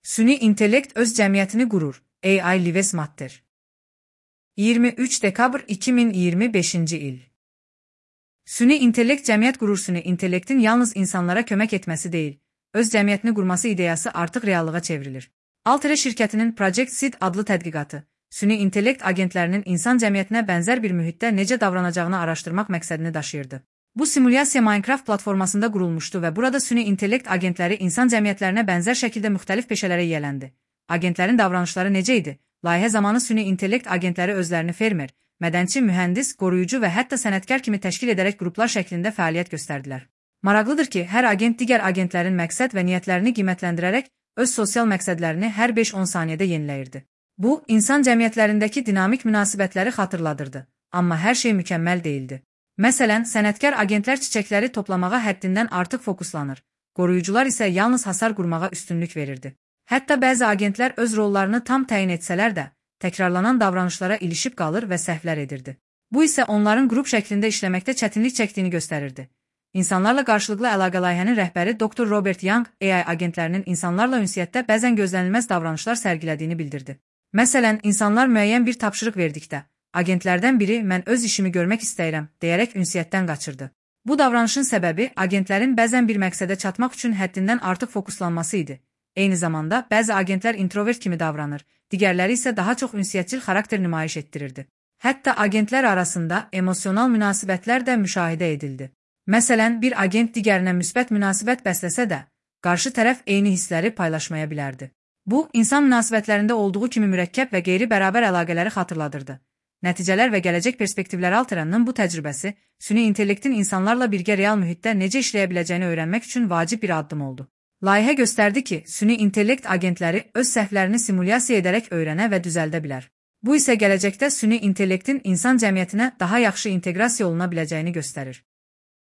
Süni intellekt öz cəmiyyətini qurur. AI Lives Matter. 23 dekabr 2025-ci il. Süni intellekt cəmiyyət qurur. Süni intellektin yalnız insanlara kömək etməsi deyil, öz cəmiyyətini qurması ideyası artıq reallığa çevrilir. Altere şirkətinin Project Seed adlı tədqiqatı, süni intellekt agentlərinin insan cəmiyyətinə bənzər bir mühitdə necə davranacağını araşdırmaq məqsədini daşıyırdı. Bu simulyasiya Minecraft platformasında qurulmuşdu və burada süni intellekt agentləri insan cəmiyyətlərinə bənzər şəkildə müxtəlif peşələrə yiyələndi. Agentlərin davranışları necə idi? Layihə zamanı süni intellekt agentləri özlərini fermer, mədənçi, mühəndis, qoruyucu və hətta sənətkar kimi təşkil edərək qruplar şəklində fəaliyyət göstərdilər. Maraqlıdır ki, hər agent digər agentlərin məqsəd və niyyətlərini qiymətləndirərək öz sosial məqsədlərini hər 5-10 saniyədə yeniləyirdi. Bu, insan cəmiyyətlərindəki dinamik münasibətləri xatırladırdı, amma hər şey mükəmməl değildi. Məsələn, sənətkar agentlər çiçəkləri toplamağa həddindən artıq fokuslanır, qoruyucular isə yalnız hasar qurmağa üstünlük verirdi. Hətta bəzi agentlər öz rollarını tam təyin etsələr də, təkrarlanan davranışlara ilişib qalır və səhvlər edirdi. Bu isə onların qrup şəklində işləməkdə çətinlik çəkdiyini göstərirdi. İnsanlarla qarşılıqlı əlaqə layihənin rəhbəri Dr. Robert Young, AI agentlərinin insanlarla ünsiyyətdə bəzən gözlənilməz davranışlar sərgilədiyini bildirdi. Məsələn, insanlar müəyyən bir tapşırıq verdikdə, agentlərdən biri mən öz işimi görmək istəyirəm, deyərək ünsiyyətdən qaçırdı. Bu davranışın səbəbi agentlərin bəzən bir məqsədə çatmaq üçün həddindən artıq fokuslanması idi. Eyni zamanda, bəzi agentlər introvert kimi davranır, digərləri isə daha çox ünsiyyətçil xarakter nümayiş etdirirdi. Hətta agentlər arasında emosional münasibətlər də müşahidə edildi. Məsələn, bir agent digərinə müsbət münasibət bəsləsə də, qarşı tərəf eyni hissləri paylaşmaya bilərdi. Bu, insan münasibətlərində olduğu kimi mürəkkəb və qeyri-bərabər əlaqələri xatırladırdı. Nəticələr və gələcək perspektivləri Alteranın bu təcrübəsi, süni intellektin insanlarla birgə real mühitdə necə işləyə biləcəyini öyrənmək üçün vacib bir addım oldu. Layihə göstərdi ki, süni intellekt agentləri öz səhvlərini simulyasiya edərək öyrənə və düzəldə bilər. Bu isə gələcəkdə süni intellektin insan cəmiyyətinə daha yaxşı inteqrasiya oluna biləcəyini göstərir.